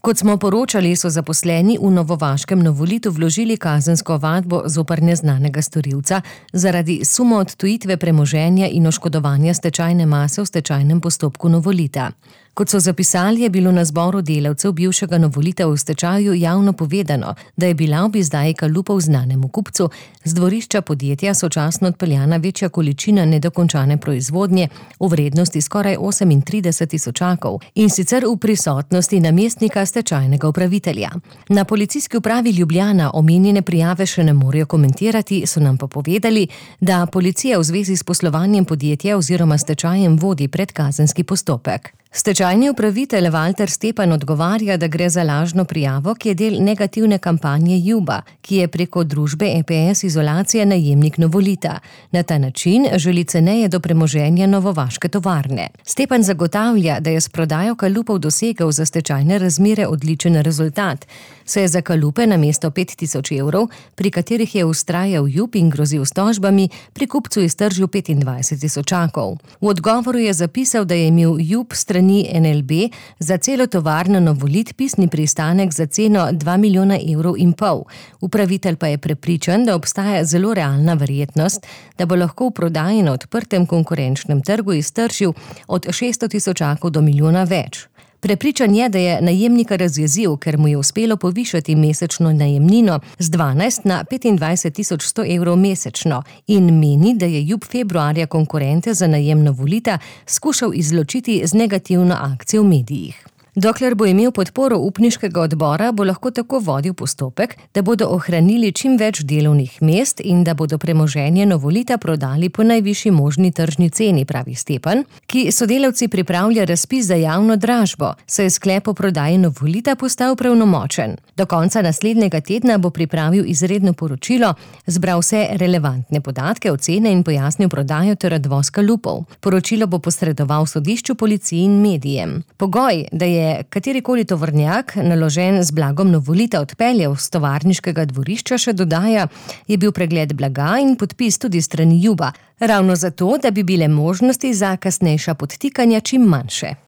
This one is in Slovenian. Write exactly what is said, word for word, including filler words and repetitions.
Kot smo poročali, so zaposleni v novovaškem Novolitu vložili kazensko ovadbo zoper neznanega storilca zaradi suma odtujitve premoženja in oškodovanja stečajne mase v stečajnem postopku Novolita. Kot so zapisali, je bilo na zboru delavcev bivšega Novolita v stečaju javno povedano, da je bila ob izdaji kalupov znanemu kupcu z dvorišča podjetja sočasno odpeljana večja količina nedokončane proizvodnje v vrednosti skoraj osemintrideset tisočakov in sicer v prisotnosti namestnika stečajnega upravitelja. Na policijski upravi Ljubljana omenjene prijave še ne morejo komentirati, so nam pa povedali, da policija v zvezi s poslovanjem podjetja oziroma stečajem vodi predkazenski postopek. Stečajni upravitelj Valter Stepan odgovarja, da gre za lažno prijavo, ki je del negativne kampanje Juba, ki je preko družbe E P S Izolacija najemnik Novolita. Na ta način želi ceneje do premoženja novovaške tovarne. Stepan zagotavlja, da je s prodajo kalupov dosegel za stečajne razmere odličen rezultat, saj je za kalupe namesto pet tisoč evrov, pri katerih je vztrajal Jub in grozil s tožbami, pri kupcu iztržil petindvajset tisočakov. V odgovoru je zapisal, da je imel Jub strani N L B za celo tovarno Novolit pisni pristanek za ceno dva milijona evrov in pol. Upravitelj pa je prepričan, da obstaja zelo realna verjetnost, da bo lahko v prodaji na odprtem konkurenčnem trgu iztržil od šeststo tisočakov do milijona več. Prepričan je, da je najemnika razjezil, ker mu je uspelo povišati mesečno najemnino z dvanajst na petindvajset tisoč sto evrov mesečno in meni, da je Jub februarja konkurente za najem Novolita skušal izločiti z negativno akcijo v medijih. Dokler bo imel podporo upniškega odbora, bo lahko tako vodil postopek, da bodo ohranili čim več delovnih mest in da bodo premoženje Novolita prodali po najvišji možni tržni ceni, pravi Stepan, ki sodelavci pripravlja razpis za javno dražbo, saj je sklep o prodaji Novolita postal pravnomočen. Do konca naslednjega tedna bo pripravil izredno poročilo, zbral vse relevantne podatke, ocene in pojasnil prodajo ter odvoz kalupov. Poročilo bo posredoval sodišču, policiji in medijem. Pogoj, da je katerikoli tovornjak naložen z blagom Novolita odpeljal z tovarniškega dvorišča, še dodaja, je bil pregled blaga in podpis tudi strani Juba, ravno zato, da bi bile možnosti za kasnejša podtikanja čim manjše.